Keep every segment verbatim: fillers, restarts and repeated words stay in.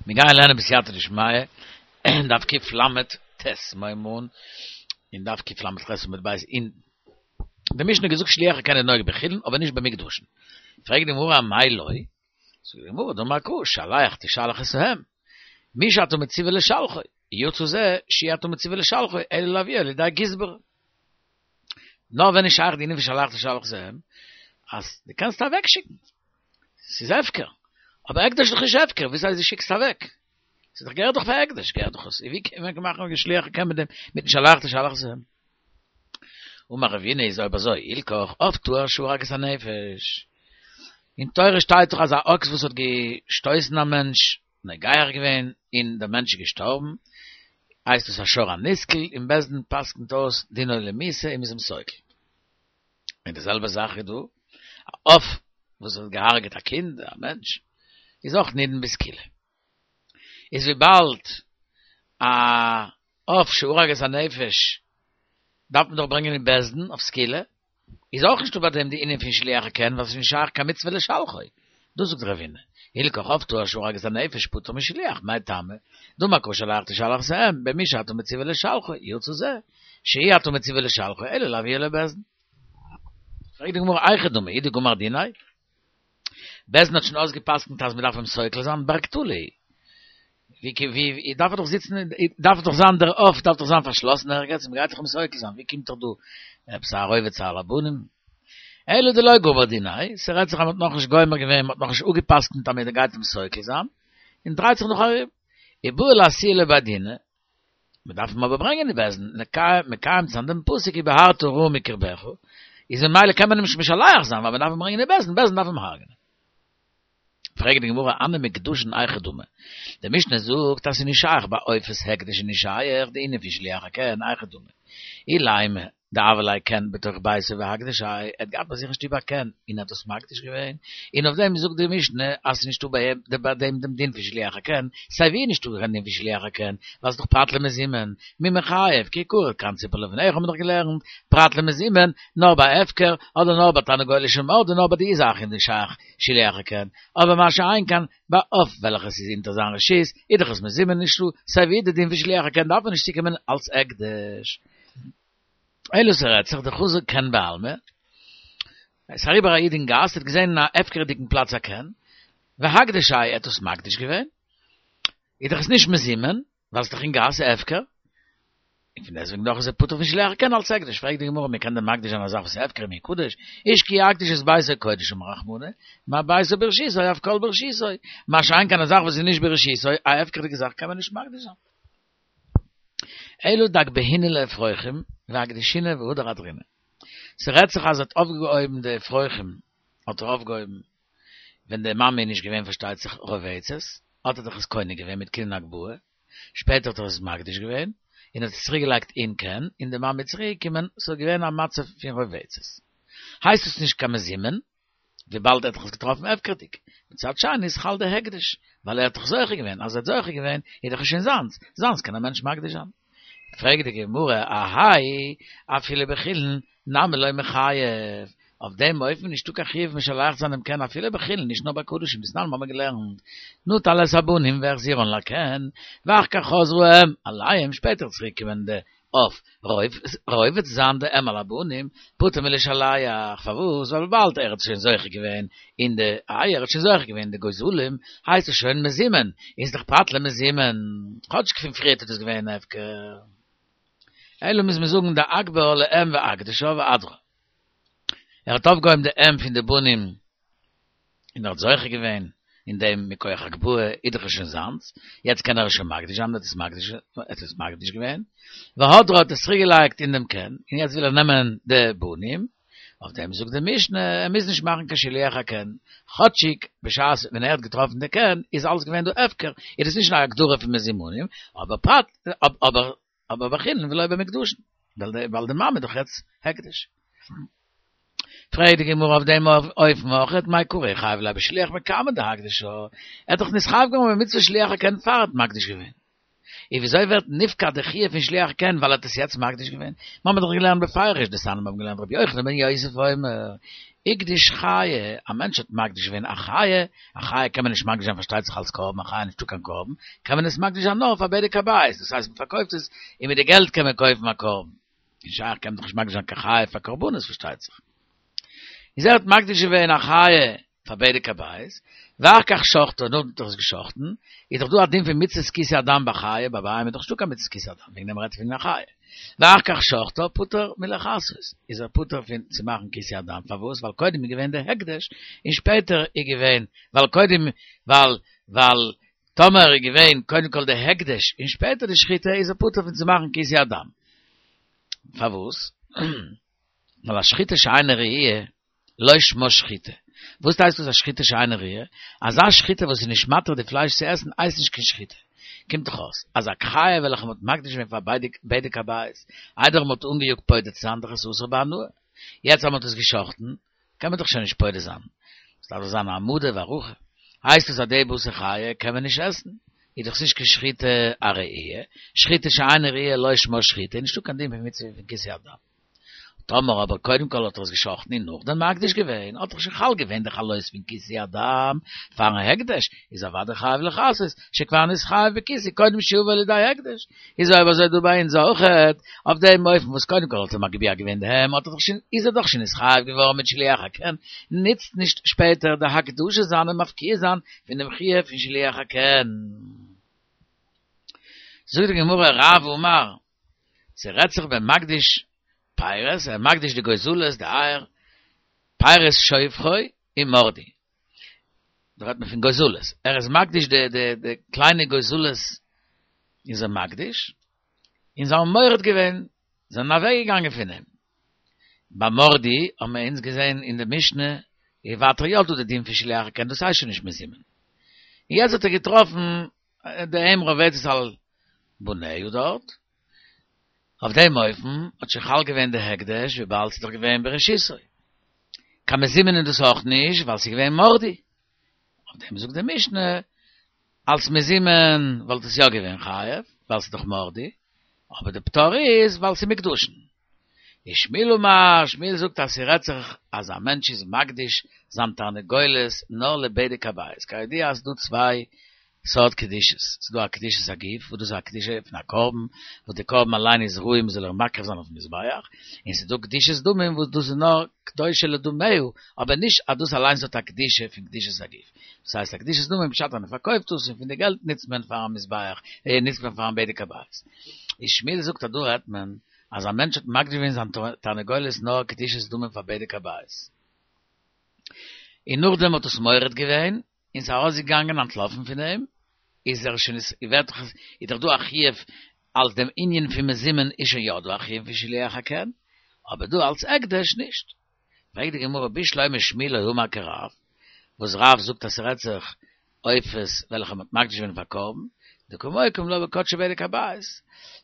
מיר גייען לערנען בסייעתא דשמיא אין דף קל"ט מיר הייבן אן אין דף קל"ח עמוד ב' אין די משנה געזאגט שילוח הקן איז נוהג בחולין אבער נישט במוקדשין. פרעגט די גמרא אמאי לא? זאגט די גמרא דאמר קרא שלח תשלח את האם מי שאתה מצווה לשלחו יצא זה שאי אתה מצווה לשלחו אלא להביאו לידי גזבר. נאר ווען איז שייך די ענין פון שלח תשלח את האם אז דו קענסט אוועקשיקן ס'איז הפקר אבער הקדש איז דאך נישט הפקר וואס הייסט דו שיקסט אוועק? ס'איז דאך געהערט דאך פאר הקדש געהערט דאך עס ווי קען מען מאכן א שילוח הקן מיט דעם מיטן שלח תשלח את האם? אמר רבינא איז אויב אזוי הילכך עוף טהור שהרג את הנפש אין תורה שטייט דאך אז א אקס וואס האט געשטויסן א מענטש נוגח געווען און דער מענטש איז געשטארבן הייסט עס א שור הנסקל און בית דין פסק'נט אויס דינו למיתה און מ'איז אים סוקל און די זעלבע זאך איז דא א עוף וואס האט געהארגעט א קינד א מענטש איז אויך נידון בסקילה איז וויבאלד א עוף שהרג את הנפש דארף מען דאך ברענגען אין בית דין אויף סקילה, איז אויך נישטא ביי דעם די ענין פון שילוח הקן ווייל ס'איז נישט שייך קיין מצוה לשלחו, דאס זאגט רבינא, הילכך עוף טהור שהרג את הנפש פטור משילוח, מאי טעמא, דאמר קרא שלח תשלח את האם, במי שאתה מצווה לשלחו, יצא זה, שאי אתה מצווה לשלחו, אלא להביאו לבית דין. פרעגט די גמרא היכי דמי, הוא דגמר דיניה? בית דין האט שוין אויסגעפסקנט אז מ'דארף אים סוקל זיין בר קטלא ווי ווי דארף ער דאך זיצן דארף דאך זיין דער עוף דארף דאך זיין פארשלאסן ערגעץ מ'גייט דאך אים סוקל זיין ווי קומט דאך דא עפעס א רובץ על הבנים אלא דלא גמר דיניה ס'רעדט זיך אז מ'האט נאכנישט גומר געווען מ'האט נאכנישט אפגעפסקנט אז מ'גייט אים סוקל זיין און דרייט זיך נאך ארום איבעי לאתויי לבי דינא מען דארף אים אבער ברענגען אין בית דין, מקיים צו זיין דעם פסוק ובערת הרע מקרבך, איז ממילא קען מען אים נישט משלח זיין ווייל מען דארף אים ברענגען אין בית דין, בית דין דארף אים הרג'נען. פרעגט די גמרא הני מוקדשין היכי דמי, די משנה זאגט אז ס'איז נישט שייך ביי עופות הקדש איז נישט שייך די ענין פון שילוח הקן, היכי דמי, אילימא דהוה ליה קן בתוך ביתו ואקדישיה, ער האט געהאט ביי זיך אין שטוב א קן און האט דאס מקדיש געווען, און אויף דעם זאגט די משנה אז ס'איז נישטא ביי דעם דעם דין פון שילוח הקן, סיי ווי איז נישטא קיין דין פון שילוח הקן, ווייל ס'איז דאך פרט למזומן, מי מיחייב, כי קרא קן ציפור לפניך האבן מיר דאך געלערנט, פרט למזומן, נאר ביי הפקר, אדער נאר ביי תרנגולת שמרדה נאר ביי די זאכן איז נישט שייך שילוח הקן, אבער מה שאין כן ביי עוף וועלכעס איז אונטער זיין רשות, איז דאך עס מזומן נישטא סיי ווי די דין פון שילוח הקן דארף מען נישט צוקומען אלס הקדש. אלא ס'רעדט זיך דחזא קן בעלמא, עס איז אריבער א איד אין גאס, האט געזען אין א הפקר'דיגן פלאץ א קן, ואקדישיה ער האט עס מקדיש געווען, איז דאך עס נישט מזומן, ווייל ס'איז דאך אין גאס הפקר, און פון דעסטוועגן דאך איז ער פטור פון שילוח הקן אלס הקדש, פרעגט די גמרא מען קען דען מקדיש זיין א זאך וואס איז הפקר ומי קדוש, איש כי יקדיש את ביתו קודש אמר רחמנא, מה ביתו ברשותו אף כל ברשותו, מה שאין כן א זאך וואס איז נישט ברשותו, א הפקר'דיגע זאך קען מען נישט מקדיש זיין. אלא דאגבהינהו לאפרוחים ואקדשינהו והדר אהדרינהו. ס'רעדט זיך אז ער האט אויפגעהויבן די אפרוחים, האט ער אויפגעהויבן ווען די מאמע איז נישט געווען פארשטייט זיך רובצת, האט ער דאך עס קונה געווען מיט קנין הגבהה, שפעטער האט ער עס מקדיש געווען, און האט עס צוריק געלייגט אין קן, און די מאמע איז צוריק געקומען, ס'איז געווען א מצב פון רובצת. הייסט עס נישט קיין מזומן, וויבאלד ער האט דאך עס געטראפן הפקר'דיג. מצד שני איז חל די הקדש, ווייל ער האט דאך זוכה געווען, אז ער האט זוכה געווען איז דאך עס שוין זיינס, זיינס קען א מענטש מקדיש זיין. פרעגט די גמרא, אהייא, אפילו בחולין נמי לא מיחייב, אויף דעם אופן נישטא קיין חיוב משלח זיין דעם קן אפילו בחולין, נישט נאר ביי קדשים, דתנן האבן מיר געלערנט, נטל את הבנים והחזירן לקן, ואחר כך חזרה האם עליהם, שפעטער איז צוריק געקומען די עוף רובץ זיין די אם על הבנים, פטור מלשלח, פארוואס? ווייל וויבאלד ער האט שוין זוכה געווען אין די אייער, ער האט שוין זוכה געווען אין די גוזלים, הייסט עס שוין מזומן, איז דאך פרט למזומן, כאטש פון פריערט איז דאס געווען הפקר. אלא מוז מען זאגן דאגבהה לאם ואקדשה והדרה. ער האט אויפגעהויבן די אם פון די בנים און ער האט זוכה געווען אין דעם מכח הגבהה איז דאך עס שוין זיינס, יעצט קען ער עס שוין מקדיש זיין, ער האט עס מקדיש ער האט עס מקדיש געווען, והדרה האט עס צוריק געלייגט אין דעם קן, און יעצט וויל ער נעמען די בנים, אויף דעם זאגט די משנה, ער מוז נישט מאכן קיין שילוח הקן, כאטשיג בשעת ווען ער האט געטראפן די קן איז אלעס געווען דא הפקר, איז דאס נישט א הגדרה פון מזומנים, אבער פרט אבער אבער בחולין ולא במוקדשין, ווייל די מאמע איז דאך יעצט הקדש. פרעגט די גמרא אויף דעם אופן אויכעט מאי קרא איחייב ליה בשילוח מקמי דאקדשה, ער האט דאך נתחייב געווארן במצוות שילוח הקן פאר ער האט מקדיש געווען. און וויאזוי ווערט נפקע די חיוב פון שילוח הקן ווייל ער האט עס יעצט מקדיש געווען? מיר האבן דאך געלערנט בפירוש דתניא מיר האבן געלערנט רבי יוחנן בן יוסף אומר, הקדיש חיה, א מענטש האט מקדיש געווען א חיה, א חיה קען מען נישט מקדיש זיין פארשטייט זיך אלס קרבן, א חיה נישטא קיין קרבן, קען מען עס מקדיש זיין נאר פאר בדק הבית, דאס הייסט מען פארקויפט עס און מיט די געלט קען מען קויפן א קרבן. נישט שייך קען מען דאך נישט מקדיש זיין קיין חיה פאר קרבנות פארשטייט זיך. איז ער האט מקדיש געווען א חיה פאר בדק הבית, ואחר כך שחטו, נאכדעם האט ער עס געשחטן, איז דאך דא א דין פון מצות כיסוי הדם בחיה, ביי בהמה איז דאך נישטא קיין מצות כיסוי הדם, וועגן דעם רעדט פון א חיה. ואחר כך שחטו, פטור מלכסות, איז ער פטור פון צו מאכן כיסוי הדם, פארוואס? ווייל קודם איז געווען דער הקדש, און שפעטער איז געווען, ווייל קודם, ווייל, ווייל טאמער איז געווען קודם כל דער הקדש, און שפעטער די שחיטה, איז ער פטור פון צו מאכן כיסוי הדם. פארוואס? ווייל א שחיטה שאינה ראויה, לא שמה שחיטה. וואס הייסט דאס א שחיטה שאינה ראויה? אזא שחיטה וואס איז נישט מתיר די פלייש צו עסן הייסט נישט קיין שחיטה. קומט דאך אויס אז א חיה וועלכע מ'האט מקדיש געווען פאר בדק הבית, איידער מ'האט אנגעיאגט פודה צו זיין דאך עס אסור בהנאה. יעצט אז מ'האט עס געשחט'ן, קען מען דאך שוין נישט פודה זיין. עס דארף דאך זיין העמדה והערכה. הייסט עס אז די בשר חיה קען מען נישט עסן. איז דאך נישט קיין שחיטה א ראויה. שחיטה שאינה ראויה לא שמה שחיטה, נישטא קיין דין פון מצוה פון כיסוי הדם. טאמער אבער קודם כל האט ער עס געשחטן און נאכדעם מקדיש געווען, האט דאך שוין חל געווען די חלות פון כיסוי הדם פארן הקדש, איז אוודאי חייב לכסות, שכבר נתחייב בכיסוי קודם שיבא לידי הקדש. איז אויב אזוי דא ביי אונז אויכעט, אויף דעם אופן וואס קודם כל האט ער מגביה געווען די העם, האט ער דאך שוין, איז ער דאך שוין נתחייב געווארן מיט שילוח הקן, נוצט נישט שפעטער די הקדשה זיין און מפקיע זיין פון דעם חיוב פון שילוח הקן. זאגט די גמרא רב אמר, ס'רעדט זיך במקדיש פירות, ער מקדיש די גוזלות, די אייער, פירות שובכו ומרדו. דא רעדט מען פון גוזלות. ער איז מקדיש די די די קליינע גוזלות איז ער מקדיש, און זיי האבן מורד געווען, זענען אוועקגעגאנגען פון אים. ביי מרדו האבן מיר אונז געזען אין די משנה, איז ווייטער יא דא די דין פון שילוח הקן, דאס הייסט שוין נישט מזומן. און יעצט האט ער געטראפן די אם רובצת על בניה דארט, אויף דעם אופן האט שוין חל געווען די הקדש וויבאלד ס'איז דאך געווען ברשותו. קיין מזומן איז דאס אויך נישט ווייל ס'איז געווען מרדו. אויף דעם זאגט די משנה, אלס מזומן וואלט עס יא געווען חייב, ווייל ס'איז דאך מרדו, אבער די פטור איז ווייל ס'איז מוקדשין. ושמואל אמר, שמואל זאגט אז ס'רעדט זיך אז א מענטש איז מקדיש זיין תרנגולת נאר לבדק הבית, כידוע אז ס'דא צוויי סארט קדושות, ס'איז דא א קדושת הגוף, וואס דאס איז א קדושה פון א קרבן, וואס די קרבן אליין איז ראוי מ'זאל איר מקריב זיין אויפן מזבח, און ס'איז דא קדושת דמים וואס דאס איז נאר קדושה לדמיה, אבער נישט אז דאס אליינס האט א קדושה פון קדושת הגוף. דאס הייסט א קדושת דמים פשט אז מ'פארקויפט דאס און פון די געלט נוצט מען פארן מזבח, נוצט מען פארן בדק הבית. איז שמואל זאגט אז דא רעדט מען אז א מענטש האט מקדיש געווען זיין תרנגולת נאר קדושת דמים פאר בדק הבית, און נאכדעם האט עס מורד געווען, און ס'איז ארויסגעגאנגען אנטלאפן פון אים, איז ער שוין איז ווערט דאך איז דאך דא א חיוב אלס דעם ענין פון מזומן איז שוין יא דא א חיוב פון שילוח הקן, אבער דא אלס הקדש נישט. פרעגט די גמרא בשלמא שמואל לא אמר כרב, וואס רב זאגט אז ס'רעדט זיך עופות וועלכע מ'האט מקדיש געווען פאר קרבן, דקא מוקים לה בקדשי בדק הבית,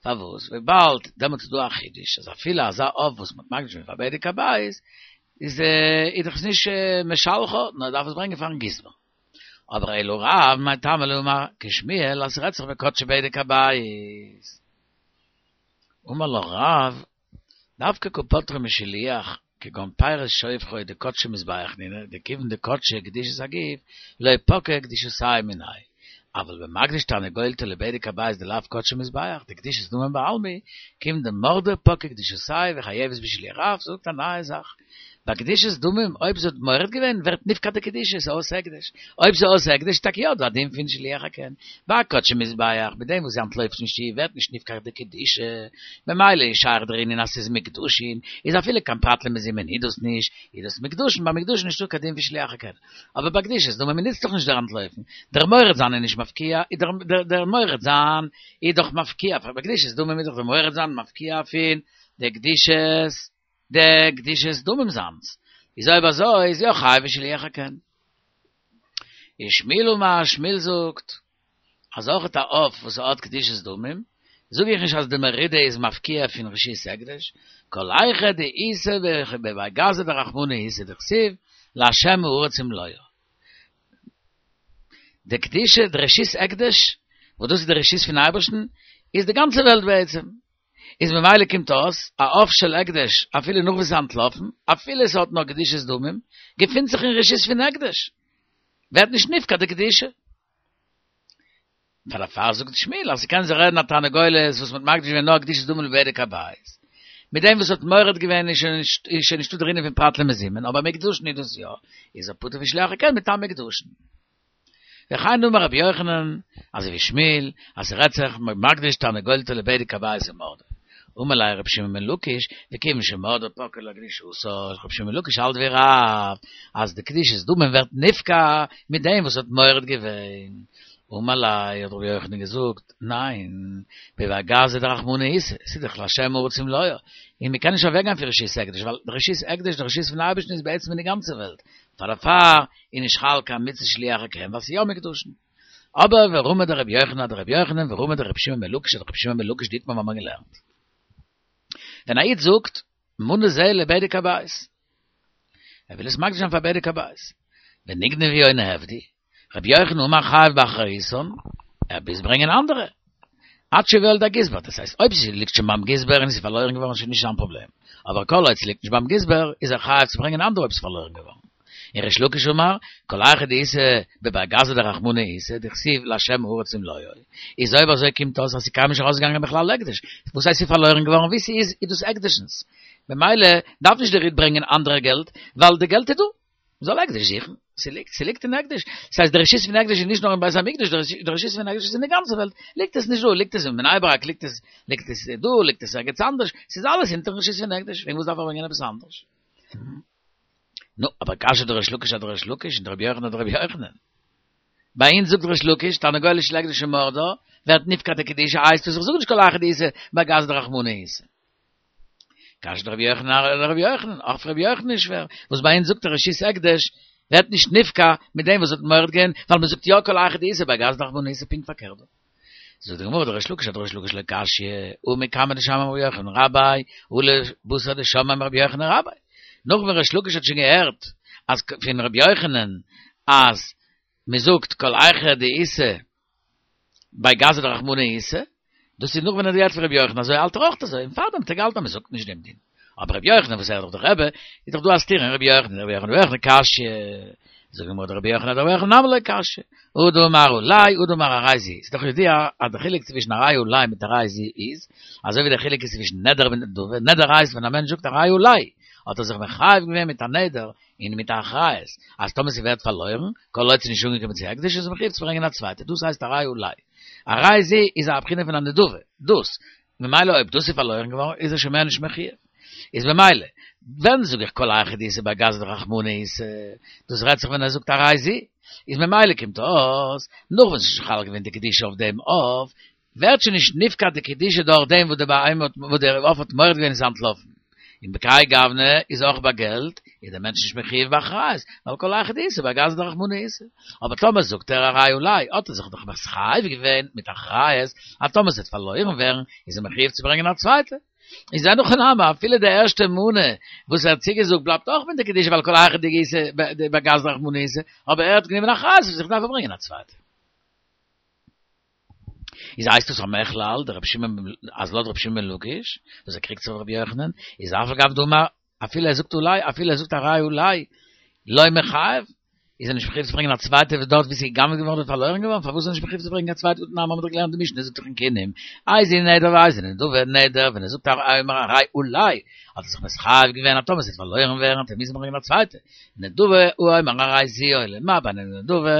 פארוואס וויבאלד דעמאלטס איז דא א חידוש אז אפילו אזא עוף וואס מ'האט מקדיש געווען פאר בדק הבית איז איז דאך עס נישט משלחה, נאר דארף עס ברענגען פארן גזבר. אבער אלא רב, מאי טעמא לא אמר כשמואל אז ס'רעדט זיך בקדשי בדק הבית. אמר לך רב, דווקא קא פטרי משליח, כגון פירות שובכו דקדשי מזבח נינהו, דכיון דקדשי קדושת הגוף, לא פקעה קדושתייהו מיניה. אבל במקדיש תרנגולתא לבדק הבית דלאו קדשי מזבח, דקדושת דמים בעלמא, כיון דמרדה פקעה קדושתייהו וחייבת בשילוח. רב זאגט א נייע זאך. ביי קדושת דמים, אויב זי האט מורד געווען, ווערט נפקע די קדושה, ס'איז אויס הקדש. אויב ס'איז אויס הקדש, איז טאקע יא דא א דין פון שילוח הקן. ביי קדשי מזבח, מיט דעם וואס זי אנטלויפט פון שטוב, ווערט נישט נפקע די קדושה. ממילא איז שייך דער ענין אז ס'איז מוקדשין, איז אפילו קיין פרט למזומן איז דאס נישט, איז דאס מוקדשין, ביי מוקדשין נישטא קיין דין פון שילוח הקן. אבער ביי קדושת דמים מ'נוצט דאך נישט דער אנטלויפן, דער מורד זיין איז נישט מפקיע, איז דער דער מורד זיין איז דאך מפקיע, ביי קדושת דמים איז דאך דער מורד זיין מפקיע פון די קדושת די קדושת דמים זיינס, איז אויב אזוי איז יא חייב בשילוח הקן. ושמואל אמר, שמואל זאגט אז אויך א עוף וואס האט קדושת דמים, זאג איך נישט אז די מרידה איז מפקיע פון רשות הקדש, כל היכא דאיתיה בבי גזא דרחמנא איתיה דכתיב לה' הארץ ומלואה. די קדושה, די רשות הקדש, וואס דאס איז די רשות פון אייבערשטן, איז די גאנצע וועלט בעצם. איז ממילא קומט אויס, א עוף של הקדש, אפילו נאך וואס ס'איז אנטלאפן, אפילו עס האט נאך קדושת דמים, געפינט זיך אין רשות פון הקדש. ווערט נישט נפקע די קדושה. פאר דערפאר זאגט שמואל, אז ס'קען זיך רעדן א תרנגולת וואס מ'האט מקדיש געווען נאר קדושת דמים לבדק הבית. מיט דעם וואס האט מורד געווען איז שוין נישט איז שוין נישטא דער ענין פון פרט למזומן, אבער מוקדשין איז דאס יא, איז ער פטור פון שילוח הקן מטעם מוקדשין. וכן אמר רבי יוחנן, אזוי ווי שמואל, אז ס'רעדט זיך מקדיש תרנגולתו לבדק הבית ומרדה. אמר ליה רבי שמעון בן לקיש, וכיוון שמרדה פקעה לה קדושתה, רבי שמעון בן לקיש האלט ווי רב, אז די קדושת דמים ווערט נפקע מיט דעם וואס האט מורד געווען. אמר ליה, האט רבי יוחנן געזאגט, ניין, בבי גזא דרחמנא איתא, ס'איז דאך להשם הארץ ומלואה, און מ'קען נישט אוועקגיין פון רשות הקדש, ווייל די רשות הקדש, די רשות פון אייבערשטן איז בעצם אין די גאנצע וועלט, פאר דערפאר איז נישט חל קיין מצות שילוח הקן ווייל ס'איז יא מוקדשין. אבער ורמי דרבי יוחנן אדרבי יוחנן ורמי דרבי שמעון בן לקיש אדרבי שמעון בן לקיש דאיתמר האבן מיר געלערנט. ווען א איד זאגט מנה זה לבדק הבית, ער וויל עס מקדיש זיין פאר בדק הבית, ונגנבו או נאבדו, רבי יוחנן אמר חייב באחריותן, ער מוז ברענגען אנדערע. עד שיביאו על ידי הגזבר, דאס הייסט אויב ס'ליגט שוין ביים גזבר און עס איז פארלוירן געווארן איז שוין נישט זיין פראבלעם, אבער כל עוד ס'ליגט נישט ביים גזבר איז ער חייב צו ברענגען אנדערע אויב ס'איז פארלוירן געווארן. און ריש לקיש אמר, כל היכא דאיתא בבי גזא דרחמנא איתא, דכתיב להשם הארץ ומלואה, איז אויב אזוי קומט אויס אז ס'איז קיינמאל נישט ארויסגעגאנגען בכלל הקדש, וואס הייסט ס'איז פארלוירן געווארן ווי ס'איז איז דאס הקדש'נס, ממילא דארף נישט דער איד ברענגען אנדערע געלט ווייל די געלט איז דא. מ'זאל הקדש זוכן, ס'ליגט, ס'ליגט אין הקדש. ס'הייסט די רשות פון הקדש איז נישט נאר אין בית המקדש, די רשות פון הקדש איז אין די גאנצע וועלט. ליגט עס נישט דא, ליגט עס אין בני ברק, ליגט עס, ליגט עס דא, ליגט עס ערגעץ אנדערש, ס'איז אלעס אונטערן רשות פון הקדש, וועגן וואס דארף ער ברענגען עפעס אנדערש? נו, אבער קשיא דריש לקיש אדריש לקיש און דרבי יוחנן אדרבי יוחנן. ביי אונז זאגט ריש לקיש, תרנגולת של הקדש שמרדה, ווערט נפקע די קדושה, הייסט עס איך זאג נישט כל היכא דאיתא בי גזא דרחמנא איתא. קשיא דרבי יוחנן אדרבי יוחנן, אויך רבי יוחנן איז שווער, וואס ביי אונז זאגט ער רשות הקדש ווערט נישט נפקע מיט דעם וואס האט מורד געווען, ווייל מען זאגט יא כל היכא דאיתא בי גזא דרחמנא איתא פונקט פארקערט דא. זאגט די גמרא דריש לקיש אדריש לקיש לא קשיא, הא מקמי דשמעה מרבי יוחנן רביה, הא לבתר דשמעה מרבי יוחנן רביה. נאך ווען ריש לקיש האט שוין געהערט אז פון רבי יוחנן אז מען זאגט כל היכא דאיתא בי גזא דרחמנא איתא, דאס איז נאך ווען ער האט געהערט פון רבי יוחנן אזוי האלט ער אויך אזוי, און פארדעם האט ער געהאלטן אז מען זאגט נישט דעם דין. אבער רבי יוחנן וואס ער איז דאך דער רבי, איז דאך דא א סתירה אין רבי יוחנן, רבי יוחנן אדרבי יוחנן קשיא, זאגט די גמרא דרבי יוחנן אדרבי יוחנן נמי לא קשיא, הא דאמר עלי הא דאמר הרי זו, ס'איז דאך ידוע אז די חילוק צווישן הרי עלי מיט הרי זו איז, אזוי ווי דער חילוק איז צווישן נדר מיט נדבה, נדר הייסט ווען א מענטש זאגט הרי עלי, האט ער זיך מחייב געווען מיט א נדר און מיט א אחריות, אז טאמער ס'ווערט פארלוירן, כל עוד ס'איז נישט אנגעקומען צו הקדש איז ער מחויב צו ברענגען א צווייטע, דאס הייסט הרי עלי. הרי זו איז א בחינה פון א נדבה, דאס, ממילא אויב דאס איז פארלוירן געווארן איז ער שוין מער נישט מחויב. איז ממילא, ווען זאג איך כל היכא דאיתא בי גזא דרחמנא איתא, דאס רעדט זיך ווען ער זאגט הרי זו, איז ממילא קומט אויס, נאך ווען ס'איז שוין חל געווען די קדושה אויף דעם עוף, ווערט שוין נישט נפקע די קדושה דורך דעם וואס די בהמה האט וואס דער עוף האט מורד געווען און איז אנטלאפן. און בכהאי גוונא איז אויך ביי געלט, איז דער מענטש נישט מחויב באחריות, ווייל כל היכא דאיתא בי גזא דרחמנא איתא. אבער טאמער זאגט ער הרי עלי, האט ער זיך דאך מתחייב געווען מיט אחריות, אז טאמער ס'וועט פארלוירן ווערן, איז ער מחויב צו ברענגען א צווייטע. איז אין הכי נמי, אפילו די ערשטע מנה וואס ער האט צוגעזאגט בלייבט אויך מיט די קדושה ווייל כל היכא דאיתא בי גזא דרחמנא איתא, אבער ער האט גענומען אחריות אויף זיך דארף ער ברענגען א צווייטע. איז הייסט עס המכלל דרבי שמעון אז לויט רבי שמעון בן לקיש וואס ער קריגט זיך אויף רבי יוחנן איז אף על גב דאמר אפילו ער זאגט עלי אפילו ער זאגט הרי עלי לא מיחייב איז ער נישט מחויב צו ברענגען א צווייטע וואס דארט ווי ס'איז גע'גנב'ט געווארן אדער פארלוירן געווארן פארוואס איז ער נישט מחויב צו ברענגען א צווייטע והתנן האבן מיר דאך געלערנט די משנה זאגט דאך אין קינים איזהו נדר ואיזו נדבה נדר ווען ער זאגט אומר הרי עלי האט ער זיך מתחייב געווען אז טאמער ס'וועט פארלוירן ווערן וועט ער מוזן ברענגען א צווייטע נדבה הוא אומר הרי זו עולה מה בין נדבה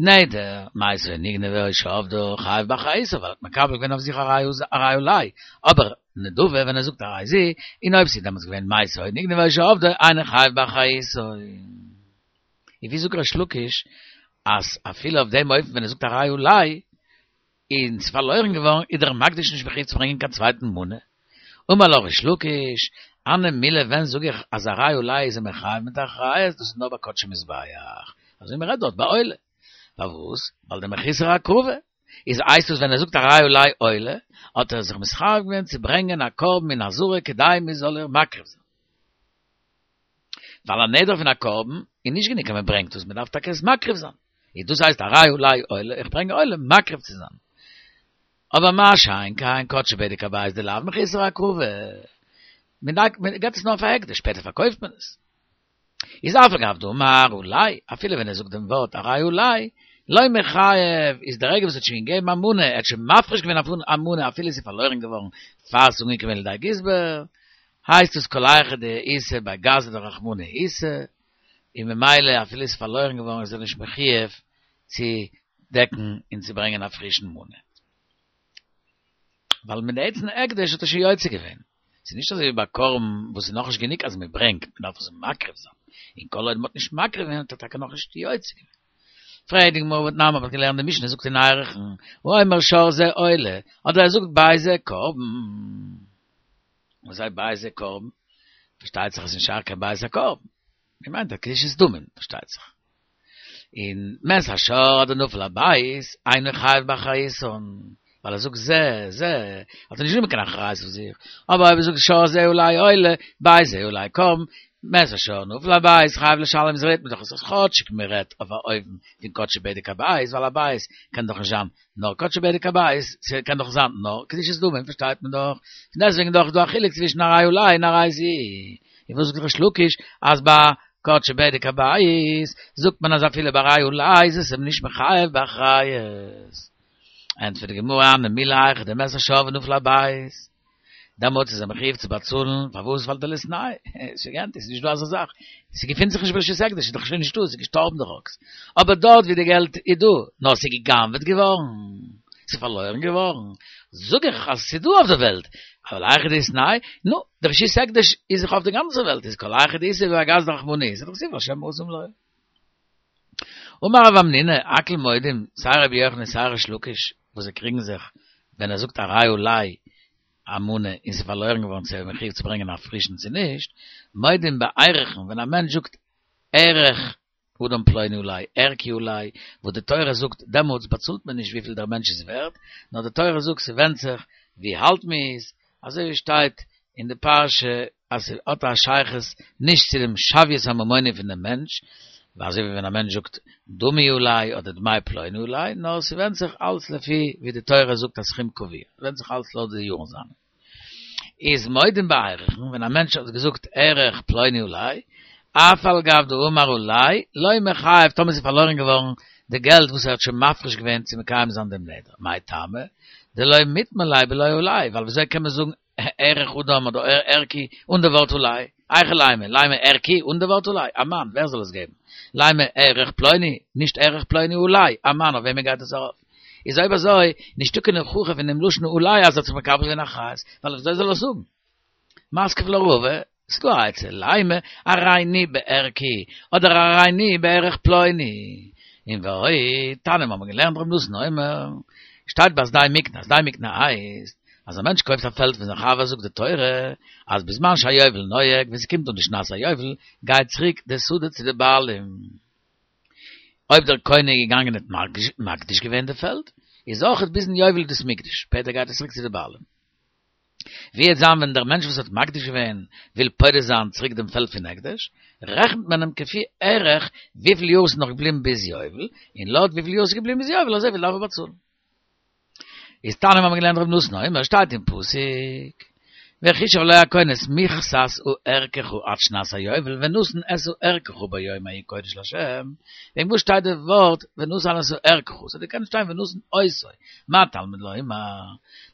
נדר, מעשה נגנבה או שאבדה, חייב באחריותה, ווייל ער האט מקבל געווען אויף זיך הרי עלי, אבער נדבה ווען ער זאגט הרי זו, און אויב ס'איז דעמאלטס געווען מעשה נגנבה או שאבדה, אינו חייב באחריותה. און ווי זאגט ריש לקיש אז אפילו אויף דעם אופן ווען ער זאגט הרי עלי, און ס'איז פארלוירן געווארן, איז דער מקדיש נישט מחויב צו ברענגען קיין צווייטן מנה. אמר לך ריש לקיש, הני מילי ווען זאג איך אז הרי עלי איז ער מחויב מיט אחריות, דאס איז נאר ביי קדשי מזבח, אזוי מ'רעדט דארט ביי עולה. פארוואס? ווייל דמחוסר הקרבה איז הייסט עס ווען ער זאגט הרי עלי עולה, האט ער זיך מתחייב געווען צו ברענגען א קרבן אין עזרה כדי מ'זאל איר מקריב זיין. ווייל א נדר פון א קרבן איז נישט גענוג אז מען ברענגט עס, מען דארף טאקע עס מקריב זיין. איז דאס הייסט הרי עלי עולה, איך ברענג עולה מקריב צו זיין. אבער מה שאין כן קדשי בדק הבית דלאו מחוסר הקרבה. מען דארף מען געט עס נאר פאר הקדש, שפעטער פארקויפט מען עס. איז אף על גב דאמר עלי, אפילו ווען ער זאגט דעם ווארט הרי עלי, לא מיחייב, איז דער רגע וואס ער האט שוין געגעבן א מנה, ער האט שוין מפריש געווען אויף א מנה אפילו עס איז פארלוירן געווארן פאר ס'איז אנגעקומען לידי גזבר, הייסט עס כל היכא דאיתיה בי גזא דרחמנא איתיה, און ממילא אפילו עס איז פארלוירן געווארן איז ער נישט מחויב צו דעקן און צו ברענגען א פרישן מנה. ווייל מיט די עצם הקדש האט ער שוין יוצא געווען. ס'איז נישט אזוי ווי ביי קרבן וואס איז נאכנישט גענוג אז מען ברענגט, מען דארף עס מקריב זיין. און כל עוד מען האט נישט מקריב געווען האט ער טאקע נאכנישט יוצא געווען. פרעגט די גמרא והתנן מ'האט געלערנט די משנה זאגט אין ערכין, האומר שור זה עולה, אדער ער זאגט בית זה קרבן. וואס הייסט בית זה קרבן? פארשטייט זיך אז ס'איז נישט שייך קיין בית הקרבן. מען מיינט א קדושת דמים, פארשטייט זיך. און מת השור אדער נפל הבית, אינו חייב באחריותן, ווייל ער זאגט זה, זה, האט ער נישט גענומען קיין אחריות אויף זיך, אבער אויב ער זאגט שור זה עלי עולה, בית זה עלי קרבן, מת השור נפל הבית, חייב לשלם איז רעדט מען דאך אז כאטשיג מען רעדט אויף א אופן פון קדשי בדק הבית, ווייל א בית קען דאך נישט זיין נאר קדשי בדק הבית, ס'קען דאך זיין נאר קדושת דמים, פארשטייט מען דאך, פון דעסטוועגן דאך איז דא א חילוק צווישן הרי עלי און הרי זו. און וואס זאגט ריש לקיש אז ביי קדשי בדק הבית זאגט מען אז אפילו ביי הרי עלי איז עס אים נישט מחייב באחריות. ענטפערט די גמרא הני מילי היכא דמת השור ונפל הבית, דעמאלטס איז ער מחויב צו באצאלן, פארוואס? ווייל דליתנהו, ס'גענט איז נישט דא אזא זאך, ס'געפינט זיך נישט ברשות הקדש, איז דאך שוין נישטא, ס'איז געשטארבן דער אקס, אבער דארט ווי די געלט איז דא, נאר ס'איז גע'גנב'עט געווארן, ס'איז פארלוירן געווארן, זאג איך אז ס'איז דא אויף דער וועלט, אבל היכא דאיתנהו, נו, די רשות הקדש איז זיך אויף די גאנצע וועלט, איז כל היכא דאיתיה בי גזא דרחמנא איתיה, דכתיב לה' מאסם לו. אמר רב המנונא, הכל מודים, סיי רבי יוחנן און סיי ריש לקיש, וואס זיי קריגן זיך ווען ער זאגט הרי עלי א מנה און ס'איז פארלוירן געווארן צו ער איז מחויב צו ברענגען א פרישן צו נישט, מודים בערכין, ווען א מענטש זאגט ערך אדם פלוני עלי, ערכי עלי, וואס די תורה זאגט דעמאלטס באצאלט מען נישט וויפיל דער מענטש איז ווערט, נאר די תורה זאגט ס'ווענדט זיך ווי אלט מ'איז, אזוי ווי שטייט אין די פרשה אז ס'האט א שייכות נישט צו דעם שוויות הממוני פון דעם מענטש, אזוי ווי ווען א מענטש זאגט דמי עלי אדער דמי פלוני עלי, נאר ס'ווענדט זיך אלץ לפי ווי די תורה זאגט א סכום קבוע, ס'ווענדט זיך אלץ לויט די יארן זיינע. איז מודים בערכין, ווען א מענטש האט געזאגט ערך פלוני עלי, אף על גב דאמר עלי, לא מיחייב, טאמער ס'איז פארלוירן געווארן די געלט וואס ער האט שוין מפריש געווען צו מקיים זיין דעם נדר, מאי טעמא? דלא מיטמא ליה בלא עלי, ווייל וויאזוי קען מען זאגן ערך אדם אדער ערכי אן די ווארט עלי? היכי לימא, לימא ערכי אן די ווארט עלי, אמאן, ווער זאל עס געבן? לימא ערך פלוני, נישט ערך פלוני עלי, אמאן, אויף וועמען גייט עס ארויף? איז אויב אזוי, נישטא קיין הוכחה פון דעם לשון עלי אז ער האט זיך מקבל געווען אחריות, ווייל וויאזוי זאל ער עס זאגן? מתקיף לה רבא, ס'דא א עצה, לימא הריני בערכי, אדער הריני בערך פלוני. און ועוד, תניא מיר האבן געלערנט ר' נתן אומר, שטייט ביי שדה מקנה, שדה מקנה הייסט, אז א מענטש קויפט א פעלד פון זיין חבר זאגט די תורה, אז בזמן שהיובל נוהג, ווען ס'קומט אן די שנת היובל, גייט צוריק די שדה צו די בעלים. אויב דער קונה איז געגאנגען און האט מקדיש געווען די פעלד, איז אויכעט ביזן יובל איז דאס מוקדש, שפעטער גייט עס צוריק צו די בעלים. ווי וועט זיין ווען דער מענטש וואס האט מקדיש געווען וויל פודה זיין צוריק דעם פעלד פון הקדש, רעכנט מען אים כפי ערך וויפיל יאר עס איז נאך געבליבן ביז יובל, און לויט וויפיל יאר עס איז געבליבן ביז יובל אזויפיל דארף ער באצאלן. איז תניא מיר האבן געלערנט ר' נתן אומר שטייט אין פסוק וחשב לו הכהן את מכסת ערכך עד שנת היובל ונתן את ערכך ביום ההוא קודש לה', וועגן וואס שטייט די ווארט ונתן את ערכך? ס'האט געקענט שטיין ונתן אותו, מה תלמוד לומר?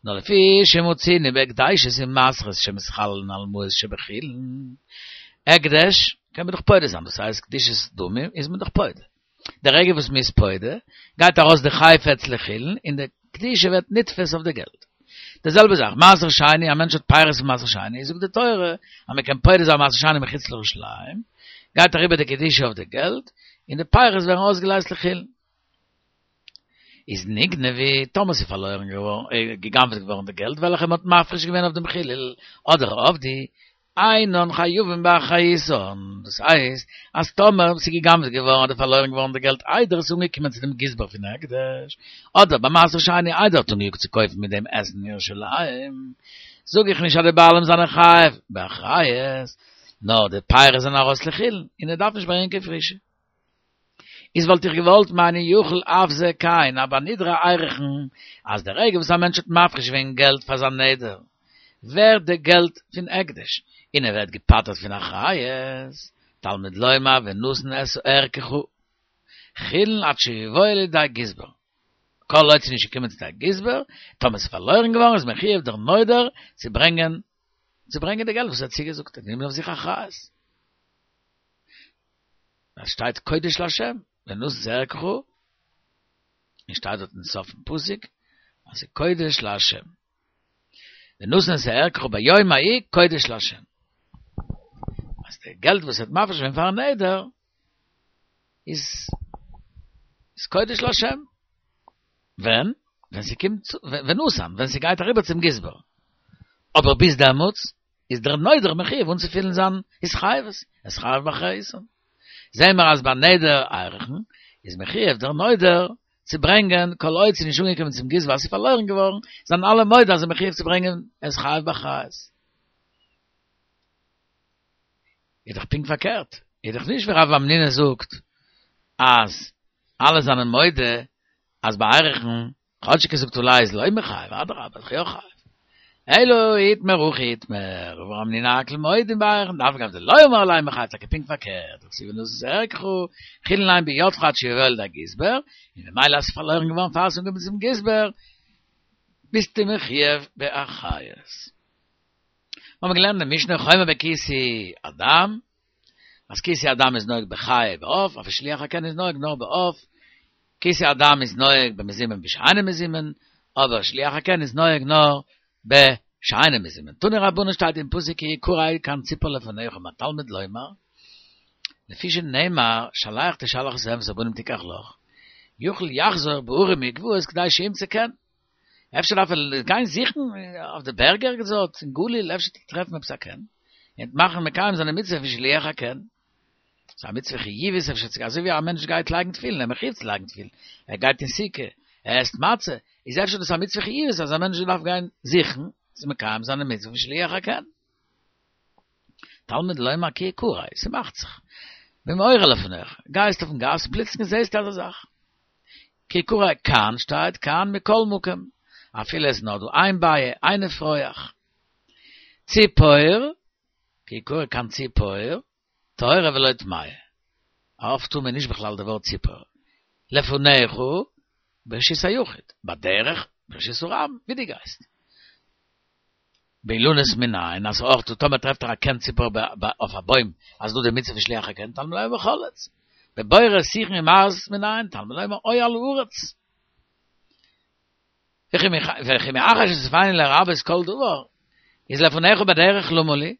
נאר לפי שמצינו בהקדשות ומעשרות שמתחללין על מעות שבחולין, הקדש קען מען דאך פודה זיין, דאס הייסט קדושת דמים איז מען דאך פודה. די רגע וואס מ'איז פודה, גייט ארויס די חפץ לחולין און די קדושה ווערט נתפס אויף די געלט. די זעלבע זאך, מעשר שני, א מענטש האט פירות פון מעשר שני, זאגט די תורה אז מען קען פודה זיין מעשר שני מחוץ לירושלים, גייט אריבער די קדושה אויף די געלט, און די פירות ווערן אויסגעלייזט לחולין. איז נגנבו, טאמער ס'איז פארלוירן געווארן, גע'גנב'עט געווארן די געלט וועלכע מ'האט מפריש געווען אויף דעם חילול, אדער אבדו, אינן חייבין באחריותן, דאס הייסט, אז טאמער ס'איז גע'גנב'עט געווארן אדער פארלוירן געווארן די געלט איידער עס איז אנגעקומען צו דעם גזבר פון הקדש, אדער ביי מעשר שני איידער האט אנגעיאגט צו קויפן מיט דעם עסן אין ירושלים, זאג איך נישט אז די בעלים זענען חייב באחריות, נאר די פירות זענען ארויס לחולין, און ער דארף נישט ברענגען קיין פרישע. איז וואלט איך געוואלט מיינען יוכל אף זה כן, אבער נדרי ערכין, אז דער רגע וואס א מענטש האט מפריש געווען געלט פאר זיין נדר, ווערט די געלט פון הקדש, און ער ווערט געפטר'ט פון אחריות, תלמוד לומר ונתן את ערכך. חולין עד שיבואו לידי גזבר. כל עוד ס'איז נישט געקומען צו די גזבר, טאמער ס'איז פארלוירן געווארן איז מחויב דער נודר צו ברענגען צו ברענגען די געלט וואס ער האט צוגעזאגט, ער האט גענומען אויף זיך אחריות. עס שטייט קודש לה', ונתן את ערכך, און שטייט דארט אין סוף פסוק אז ס'איז קודש לה'. ונתן את ערכך ביום ההוא קודש לה'. אז די געלט וואס ער האט מפריש געווען פארן נדר איז איז קודש לה'. ווען? ווען ס'קומט צו, ונתן, ווען ס'גייט אריבער צום גזבר. אבער ביז דעמאלטס איז דער נודר מחויב אנצופילן זיין התחייבות, איז חייב באחריותן. זעהן מיר אז ביי נדר ערכין איז מחויב דער נודר צו ברענגען כל עוד ס'איז נישט אנגעקומען צום גזבר אז ס'איז פארלוירן געווארן, זענען אלע מודה אז ער איז מחויב צו ברענגען איז חייב באחריות. איז דאך פונקט פארקערט, איז דאך נישט ווי רב המנונא זאגט אז אלע זענען מודה אז ביי ערכין, כאטשיג ער זאגט עלי איז לא מיחייב, אדרבה איז יא חייב. אלא איתמר הכי איתמר, ורמינהו הכל מודים בערכין, דאף על גב דלא אמר עלי מיחייב, טאקע פונקט פארקערט, דכתיב ונתן את ערכך, חולין הן בידך עד שיבואו לידי גזבר, און ממילא אז ס'איז פארלוירן געווארן פאר ס'איז אנגעקומען צום גזבר, ביסטו מחויב באחריות. מיר האבן געלערנט אין משנה חומר בכיסוי הדם, אז כיסוי הדם איז נוהג בחיה ובעוף, אבער שילוח הקן איז נוהג נאר בעוף, כיסוי הדם איז נוהג במזומן בשאינו מזומן, אבער שילוח הקן איז נוהג נאר בשאינו מזומן. תנו רבנן שטייט אין פסוק כי יקרא קן ציפור לפניך מה תלמוד לומר, לפי שנאמר שלח תשלח את האם ואת הבנים תיקח לך, יכול יחזור בהרים ובגבעות כדי שימצא קן. אפשר דארף ער גיין זוכן אויף די בערג ערגעץ דארט אין גליל אפשר טרעפן עפעס א קן און מאכן מקיים זיין די מצוה פון שילוח הקן. ס'איז א מצוה חיובית אפשר צו אזוי ווי א מענטש גייט לייגן תפילין ער איז מחויב צו לייגן תפילין ער גייט אין סוכה ער עסט מצה איז אפשר דאס א מצוה חיובית אז א מענטש דארף גיין זוכן צו מקיים זיין די מצוה פון שילוח הקן. תלמוד לומר כי יקרא, ס'מאכט זיך. במאורע לפניך, גייסט אויפן גאס פלוצלינג זעסטו אזא זאך. כי יקרא קן שטייט קן מכל מקום, אפילו עס איז נאר דא איין ביעה, איין אפרוח. ציפור, כי יקרא קן ציפור, טהורה ולא טמאה. א עוף טמא איז נישט בכלל די ווארט ציפור. לפניך, ברשות היחיד, בדרך, ברשות הרבים, ווי דו גייסט. באילנות מנין, אז אויך דא טאמער טרעפט ער א קן ציפור אויף א בוים, אז דא די מצוה פון שילוח הקן, תלמוד לומר בכל עץ. בבורות שיחין ומערות מנין, תלמוד לומר או על הארץ. וכי מאחר שסופני לרבות כל דבר, איז לפניך בדרך למה לי?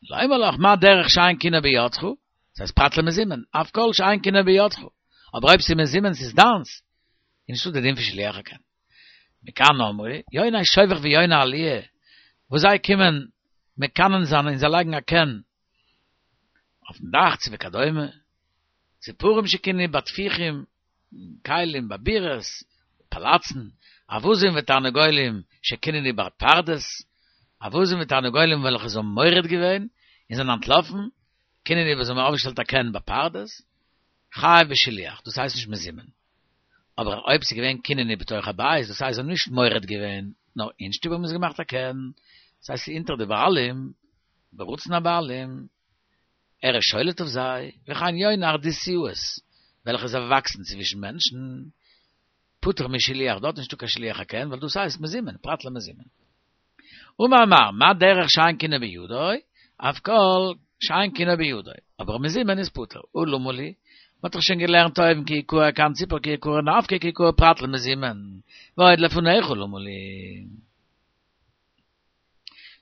לומר לך מה דרך שאין קינו בידך, דאס הייסט פרט למזומן, אף כל שאין קינו בידך, אבער אויב ס'איז מזומן ס'איז דיינס, איז נישטא די דין פון שילוח הקן. מכאן אמרו, יוני שובך ויוני עליה, וואס זיי קומען מקנן זיין און זיי לייגן א קן אויפן דאך צו וכדומה, ציפורים שקיננו בטפיחים, כלים בבירות, פאלאצן, אווזים ותרנגולים שקיננו בפרדס, אווזים ותרנגולים וועלכע זיי האבן מורד געווען און זענען אנטלאפן, קיננו וואס זיי האבן אויפגעשטעלט א קן בפרדס, חייב בשילוח, דאס הייסט נישט מזומן. אבער אויב ס'איז געווען קיננו בתוך הבית, דאס הייסט זיי האבן נישט מורד געווען, נאר אין שטוב האבן זיי געמאכט א קן, דאס הייסט ס'איז אונטער די בעלים, ברצון הבעלים, ער איז שולט אויף זיי, וכן יוני הרדיסיות, וועלכע זיי וואקסן צווישן מענטשן, פטור משילוח, דארט איז נישטא קיין שילוח הקן, ווייל דאס הייסט מזומן, פרט למזומן. אמר מר, מה דרך שאין קינו בידו, אף כל שאין קינו בידו, אבער מזומן איז פטור, הא למה לי, מ'האט דאך שוין געלערנט אויבן כי יקרא קן ציפור כי יקרא נפקא כי יקרא פרט למזומן, ועוד לפניך למה לי.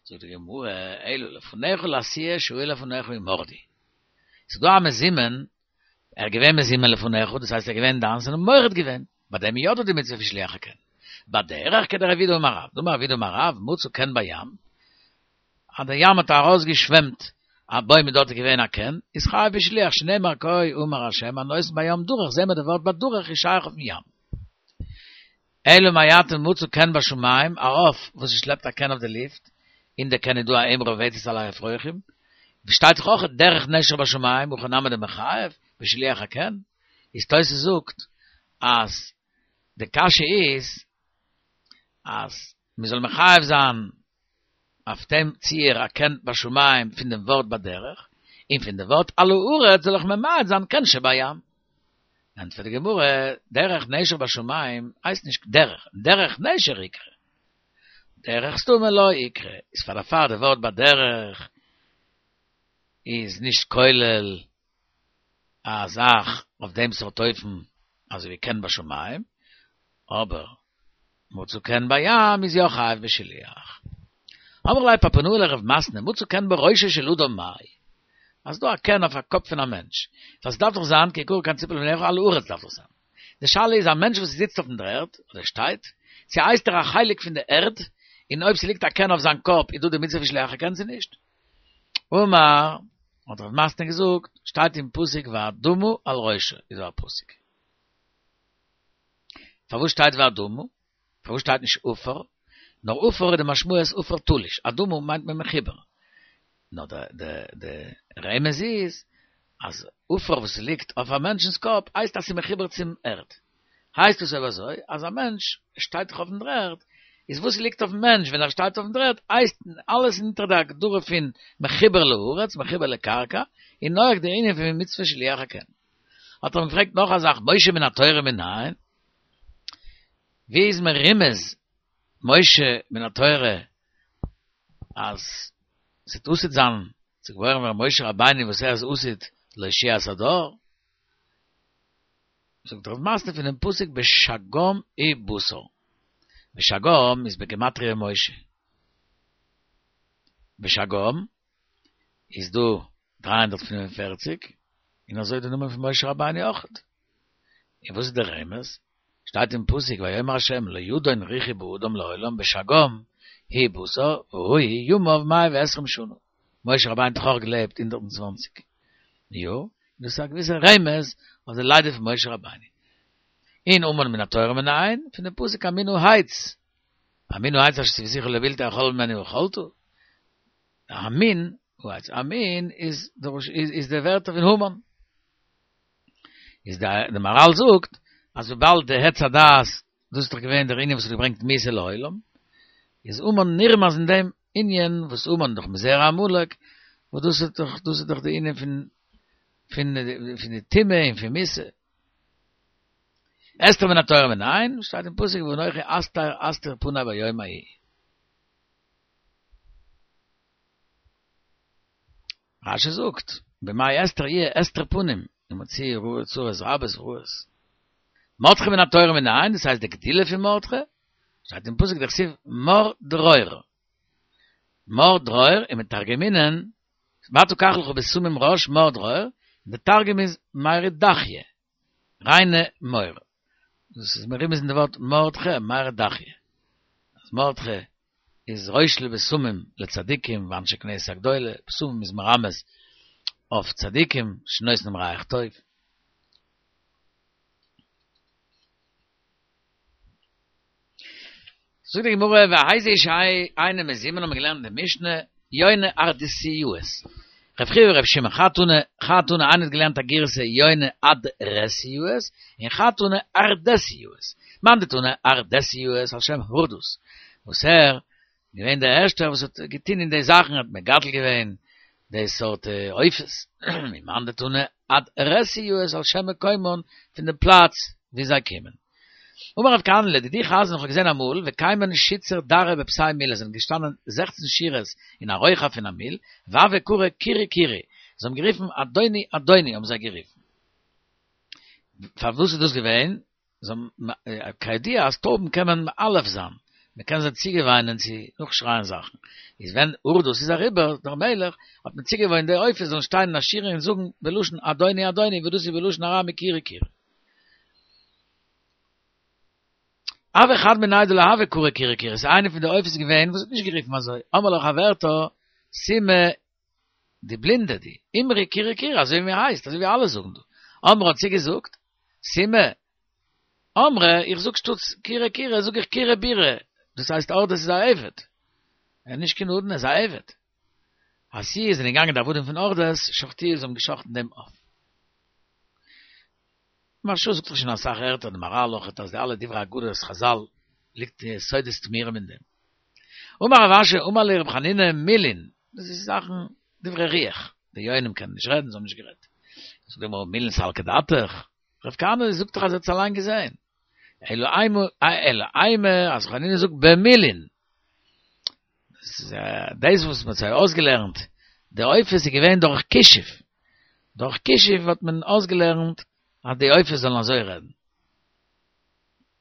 זאגט די גמרא, אלא לפניך לאתויי שהיו לפניך ומרדו. ס'איז דא א מזומן, ער איז געווען מזומן לפניך, דאס הייסט ער איז געווען דיינס און מורד געווען, ביי דעם איז יא דא די מצוה פון שילוח הקן. בדרך כדרב יהודה אמר רב, דאמר רב יהודה אמר רב, מצא קן בים, אז דער ים האט ארויסגעשוועמט א בוים און דארט איז געווען א קן, איז חייב בשילוח, שנאמר כה אמר ה' הנותן בים דרך, זעהן מיר די ווארט בדרך איז שייך אויפן ים. אלא מעתה מצא קן בשמים, א עוף וואס ס'שלעפט א קן אויף די לופט, אין די קן איז דא א אם רובצת על האפרוחים, שטייט דאך אויך דרך נשר בשמים, הכי נמי דמיחייב, בשילוח הקן, איז תוס' זאגט אז די קשיא איז אז מען זאל מחייב זיין אויף דעם ציור א קן בשמים פון דעם ווארט בדרך, און פון דעם ווארט על הארץ זאל איך ממעט זיין קן שבים. ענטפערט די גמרא, דרך נשר בשמים הייסט נישט דרך, דרך נשר איקרי. דרך סתמא לא איקרי, איז פאר דערפאר די ווארט בדרך איז נישט כולל א זאך אויף דעם סארט אופן אזוי ווי קן בשמים, אבער מצא קן בים איז יא חייב בשילוח. אמר ליה פפונאי לרב מתנה, מצא קן בראשו של אדם מאי. אז דא א קן אויף א קאפ פון א מענטש. דאס דארף דאך זיין כי יקרא קן ציפור לבניך על הארץ דארף דאך זיין. די שאלה איז א מענטש וואס זיצט אויפן דר'ערד אדער שטייט, צו הייסט ער א חלק פון די ערד, און אויב ס'ליגט א קן אויף זיין קאפ איז דא די מצוה פון שילוח הקן צו נישט? אמר, האט רב מתנה געזאגט, שטייט אין פסוק ואדמה על ראשו, איז דא א פסוק. פארוואס שטייט ואדמה? פארוואס שטייט נישט עפר? נאר עפר איז די משמעות עפר תלוש, אדמה מיינט מען מחובר. נאר די די די רמז איז אז עפר וואס ליגט אויף א מענטשנ'ס קאפ הייסט אז ס'איז מחובר צום ערד. הייסט עס אויב אזוי אז א מענטש שטייט דאך אויפן דר'ערד, איז וואס ליגט אויפן מענטש ווען ער שטייט אויפן דר'ערד הייסט אלעס אונטער די הגדרה פון מחובר לארץ, מחובר לקרקע, און נוהג די ענין פון מצוה שילוח הקן. האט ער אים געפרעגט נאך א זאך, משה מן התורה מנין? ווי איז מרומז משה מן התורה אז ס'וועט עתיד זיין צו געבוירן ווערן משה רבינו וואס ער איז עתיד להושיע את הדור? זאגט רב מתנה פונעם פסוק בשגם הוא בשר, בשגם איז בגימטריא משה, בשגם איז דא דרײַ הונדערט פֿינף און פֿערציק, און אזוי די נאמען פון משה רבינו אויכעט. און וואס איז דער רמז? שטייט אין פסוק ויאמר ה' לא ידון רוחי באדם לעולם בשגם הוא בשר והוא ימיו מאה ועשרים שנה. משה רבינו האט דאך אויך געלעבט הונדערט און צוואַנציק יאר, און דאס איז א געוויסע רמז אויף די לידה פון משה רבינו. און המן מן התורה מנין, פון דעם פסוק המן העץ, המן העץ אשר צויתיך לבלתי אכול ממנו ואכלת, המין העץ, המין איז איז די ווערטער פון המן. איז דער מהרל זאגט אז וויבאלד די עץ הדעת דאס איז דאך געווען דער ענין וואס האט געברענגט מיתה לעולם, איז המן נרמז אין דעם ענין וואס המן דאך מזרע עמלק, וואס דאס איז דאך דאס איז דאך די ענין פון פון פון די טומאה און פון מיתה. אסתר מן התורה מנין, שטייט אין פסוק ואנכי הסתר אסתיר פני ביום ההוא. רשי זאגט, במאי אסתר יהיה הסתר פנים, ומוציא צרות רבות ורעות. מרדכי מן התורה מנין, דאס הייסט די גדילה פון מרדכי, שטייט אין פסוק דכתיב מר דרור. מר דרור, ומתרגמינן, ואתה קח לך בשמים ראש מר דרור, די תרגום איז מיירי דכיא, ריינע מור. דאס איז מרומז אין די ווארט מרדכי, מיירי דכיא. אז מרדכי איז ראש לבשמים לצדיקים ואנשי כנסת הגדולה, בשמים איז מרמז אויף צדיקים שנותנים ריח טוב. זאגט די גמרא והאי שאינו מזומן האבן מיר געלערנט אין די משנה יונה ארדסיאות רב חייא ורב שמעון חד תני חד תני איינער האט געלערנט א גירסא יונה אדרסיאות און חד תני ארדסיאות מאן דתני ארדסיאות על שם הורדוס וואס ער געווען דער ערשטער וואס האט געטון אין די זאכן האט מגדל געווען די סארט עופות ומאן דתני אדרסיאות על שם מקומן פון די פלאץ ווי זיי קומען. אמר רב כהנא לדידי חזינא איך האב געזען אמאל וקיימן שיתסר דרי בפסי מילא זענען געשטאנען זעכצן שורות אין א רוחב פון א מיל והוו קרו קירי קירי זיי האבן גערופן אדוני אדוני האבן זיי גערופן פארוואס איז דאס געווען זיי האבן כידוע אז טויבן קען מען מאלף זיין, מען קען זיי צוגעוויינען צו נאכשרייען זאכן, איז ווען הורדוס איז אריבער דער מלך האט מען צוגעוואוינט די עופות זאלן שטיין אין א שורה און זאגן בלשון אדוני אדוני וואס דאס איז בלשון ארמי קירי קירי. הוה חד מינייהו דלא הוה קרי קירי קירי, ס'איז איינע פון די עופות געווען וואס האט נישט גערופן אזוי, אמרה לה חברתה סומא די בלינדע די, אמרי קירי קירי אזוי ווי מען הייסט, אזוי ווי אלע זאגן דא, אמרה האט זי געזאגט, סומא, אמרי, איך זאג שטאטס קירי קירי זאג איך קירי בירי, דאס הייסט הורדוס איז א עבד, ער איז נישט קיין אדון ער איז א עבד. אתיוהו זענען געגאנגען די עבדים פון הורדוס, שחטוה זיי האבן געשחטן דעם עוף. מהרש"א זאגט דאך שוין אסאך ערטער די מהר"ל אויכעט אז די אלע דברי אגדות חז"ל ליגט סודות טמירים אין דעם. אמר רב אשי אמר לי רב חנינא מילין, דאס איז זאכן דברי רוח, די יונים קענען נישט רעדן, זיי האבן נישט גערעדט. זאגט די גמרא מילין סלקא דעתך, רב כהנא זאגט דאך אז ער האט עס אליין געזען. אלא אימא, אלא אימא, אז חנינא זאגט במילין. דאס וואס מ'האט זיי אויסגעלערנט, די עופות איז געווען דורך כישוף. דורך כישוף האט מען אויסגעלערנט אז די עופות זאלן אזוי רעדן.